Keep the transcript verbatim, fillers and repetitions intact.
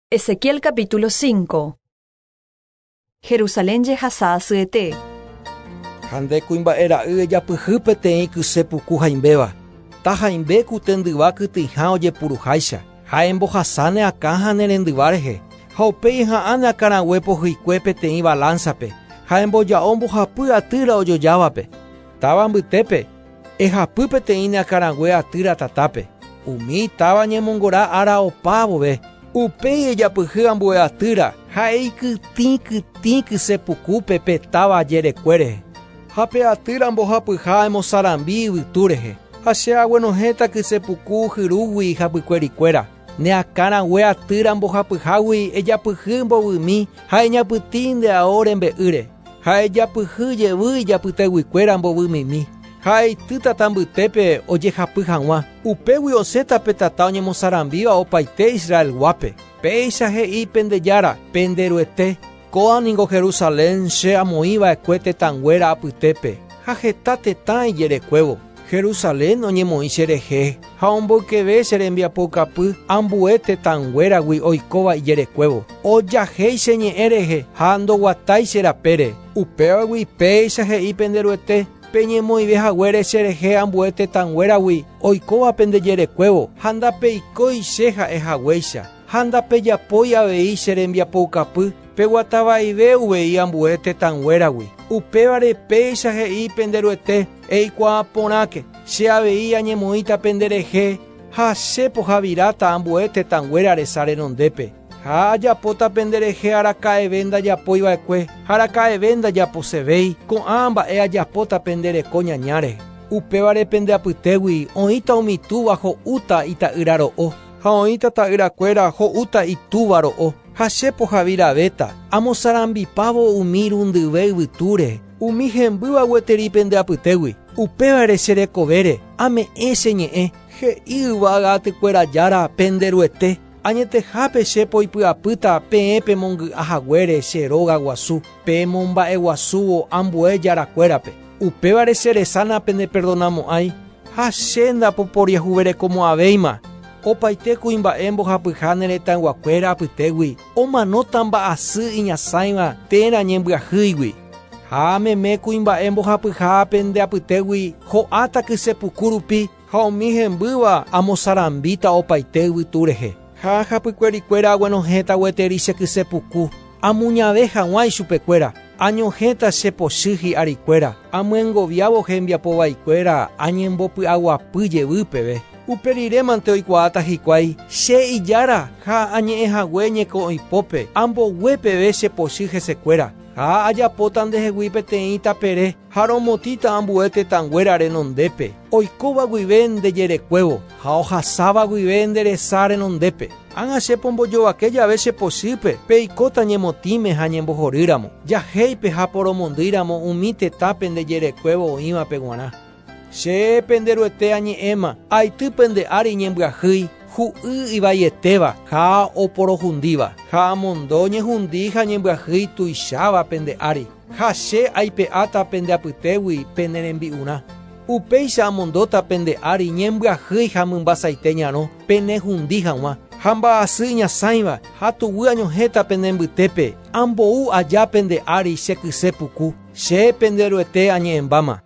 Ezequiel capítulo cinco. Jerusalén jehasa asyete. Ha nde kuimba'e ra'y ejapyhy peteĩ kyse puku haimbéva. Ta haimbe ku tendyva kytĩha ojepuruháicha. Ha embohasa ne akã ha ne rendyva rehe. Ha upéi eha'ã ne akãrague pohyikue peteĩ balanzape. Ha emboja'o mbohapy atýra ojojávape. Táva mbytépe ehapy peteĩ ne akãrague atýra tatápe. Umi táva ñemongora ára opa vove. Upéi ejapyhy ambue atýra ha eikytĩ kytĩ kyse pukúpe pe táva jerekue rehe. Ha pe atýra mbohapyha emosarambi yvytu rehe. Ha che aguenohẽta kyse puku hyrúgui hapykuerikuéra. Ne akãrague atýra mbohapyhágui ejapyhy mbovymi ha eñapytĩ nde ao rembe'ýre. Ha ejapyhy jevy ijapyteguikuéra mbovymimi. Ha eity tata mbytépe ojehapy hag̃ua. Upégui osẽta pe tata oñemosarambíva opaite Israelguápe. Péicha he'i pende Jára, pende Ruete. Kóa ningo Jerusalén che amoĩva'ekue tetãnguéra apytépe. Ha heta tetã ijerekuévo. Jerusalén oñemoĩ cherehe ha omboykeve che rembiapoukapy ambue tetãnguéragui oikóva ijerekuévo. Ojahéi che ñe'ẽ rehe ha ndoguatái che rapére. Upévagui péicha he'i pende Ruete. Peñemoĩve haguére cherehe ambue tetãnguéragui oikóva pende jerekuévo ha ndapeikói che ha'e haguéicha. Ha ndapejapói avei che rembiapoukapy peguatavaive uvei ambue tetãnguéragui. Upévare péicha he'i pende Ruete eikuaa porãke che avei añemoĩta penderehe ha che pohaviráta ambue tetãnguéra resa renondépe. Ha ajapóta penderehe araka'eve ndajapóiva'ekue ha araka'eve ndajaposevéi ko'ã mba'e ajapóta pendereko ñañáre. Upévare pende apytégui oĩta umi túva ho'úta ita'ýra ro'o ha oĩta ta'yrakuéra ho'úta itúva ro'o. Ha che pohaviravéta amosarambipávo umi rundyve yvytúre umi hembýva gueteri pende apytégui. Upévare che rekovére ame'ẽ che ñe'ẽ he'i yvága atykuéra Jára pende Ruete. Añetehápe che poipy'apýta peẽ pemongy'a haguére che róga guasu pemomba'eguasúvo ambue jarakuérape. Upévare che resana pendeperdonamo'ãi ha che ndapoporiahuverekomo'ãvéima. Opaite kuimba'e mbohapyha ne retãyguakuéra apytégui omanóta mba'asy iñasãiva térã ñembyahýigui. Ha meme kuimba'e mbohapyha pende apytégui ho'áta kyse puku rupi ha umi hembýva amosarambíta opaite yvytu rehe. Ha hapykuerikuéra aguenohẽta gueteri che kyse puku amuñave hag̃ua ichupekuéra. Añohẽta che pochy hi'arikuéra amyengoviávo hembiapovaikuéra añembopy'aguapy jevy peve. Upe rirémante oikuaáta hikuái che ijára ha añe'ẽ hague ñeko'õipópe ambogue peve che pochy hesekuéra. Ha ajapóta ndehegui peteĩ tapere ha romotĩta ambue tetãnguéra renondépe oikóva guive nde jerekuévo ha ohasáva guive nde resa renondépe. Ág̃a che pombojovake jave che pochýpe peikóta ñemotĩme ha ñembohorýramo. Jahéipe ha poromondýramo umi tetã pende jerekuévo oĩvape g̃uarã. Che pende Ruete añe'ẽma aity pende ári ñembyahýi hu'y ivaietéva ha oporohundíva. Ha amondo ñehundi ha ñembyahýi tuicháva pende ári. Ha che aipe'áta pende apytégui pene rembi'urã. Upéicha amondóta pende ári ñembyahýi ha mymbasaite ñarõ penehundi hag̃ua. Ha mba'asy iñasãiva ha tuguy añohẽta pene mbytépe ambou aja pende ári che kyse puku. Che pende Ruete añe'ẽmbáma.